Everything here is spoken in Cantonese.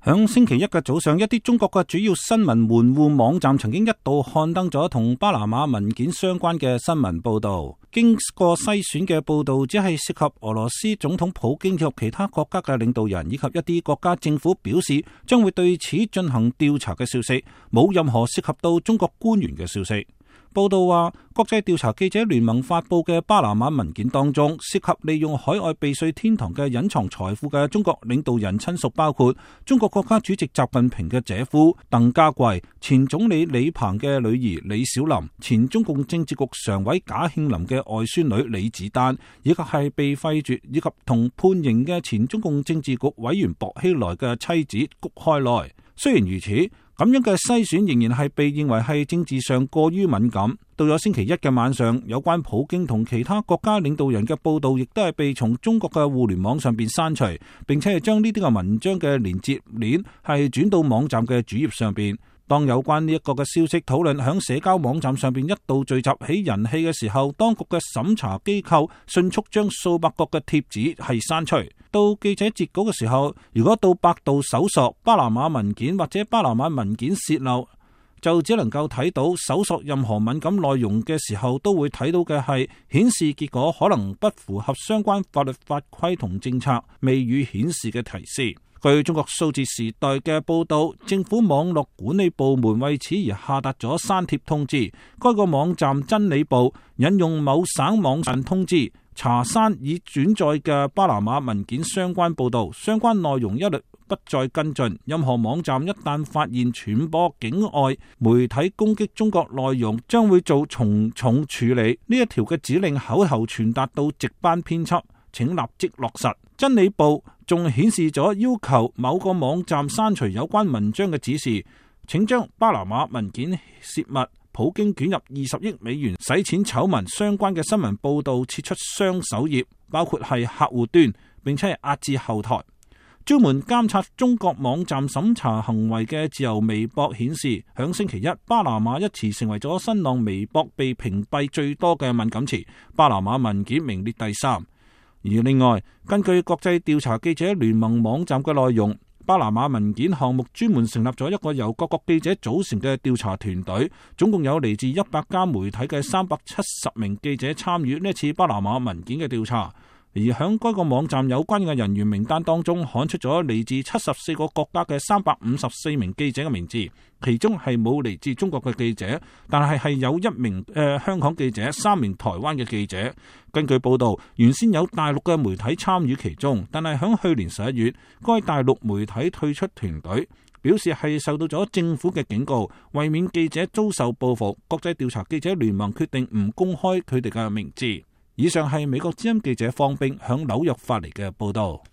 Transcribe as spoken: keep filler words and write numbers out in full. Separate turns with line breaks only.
響星期一嘅早上，一啲中國嘅主要新聞門戶網站曾經一度刊登咗同巴拿馬文件相關嘅新聞報道。經過篩選嘅報道只係涉及俄羅斯總統普京以及其他國家嘅領導人以及一啲國家政府表示將會對此進行調查嘅消息，冇任何涉及到中國官員嘅消息。報道話，國際調查記者聯盟發佈嘅巴拿馬文件當中，涉及利用海外避稅天堂嘅隱藏財富嘅中國領導人親屬包括中國國家主席習近平嘅姐夫鄧家貴、前總理李鵬嘅女兒李小琳、前中共政治局常委賈慶林嘅外孫女李子丹，以及係被廢黜以及同判刑嘅前中共政治局委員薄熙來嘅妻子谷開來。雖然如此，咁樣嘅篩選仍然係被認為係政治上過於敏感。到咗星期一嘅晚上，有關普京同其他國家領導人嘅報道亦都係被從中國嘅互聯網上邊刪除，並且係將呢啲嘅文章嘅連接鏈係轉到網站嘅主頁上邊。當有關呢一個嘅消息討論響社交網站上邊一度聚集起人氣嘅時候，當局嘅審查機構迅速將數百個嘅貼紙係刪除。到記者截稿嘅時候，如果到百度搜索巴拿馬文件或者巴拿馬文件洩漏，就只能夠睇到搜索任何敏感內容嘅時候都會睇到嘅係顯示結果可能不符合相關法律法規同政策，未予顯示嘅提示。據中國數字時代嘅報道，政府網絡管理部門為此而下達咗刪帖通知。該個網站真理部引用某省網站通知，查刪已轉載嘅巴拿馬文件相關報道，相關內容一律不再跟進。任何網站一旦發現傳播境外媒體攻擊中國內容，將會做從重處理。呢一條嘅指令口頭傳達到值班編輯，請立即落實。真理部仲顯示咗要求某個網站刪除有關文章嘅指示，請將巴拿馬文件洩密、普京捲入二十億美元洗錢醜聞相關嘅新聞報道撤出雙首頁，包括係客戶端，並且係壓至後台。專門監察中國網站審查行為嘅自由微博顯示，響星期一，巴拿馬一詞成為咗新浪微博被屏蔽最多嘅敏感詞，巴拿馬文件名列第三。而另外，根據國際調查記者聯盟網站嘅內容，巴拿馬文件項目專門成立咗一個由各國記者組成嘅調查團隊，總共有嚟自一百家媒體嘅三百七十名記者參與呢次巴拿馬文件嘅調查。而響該個網站有關嘅人員名單當中，刊出咗嚟自七十四個國家嘅三百五十四名記者嘅名字，其中係冇嚟自中國嘅記者，但係係有一名誒、呃、香港記者、三名台灣嘅記者。根據報道，原先有大陸嘅媒體參與其中，但係響去年十一月，該大陸媒體退出團隊，表示係受到咗政府嘅警告，為免記者遭受報復，國際調查記者聯盟決定唔公開佢哋嘅名字。以上係美國之音記者方冰響紐約發嚟嘅報道。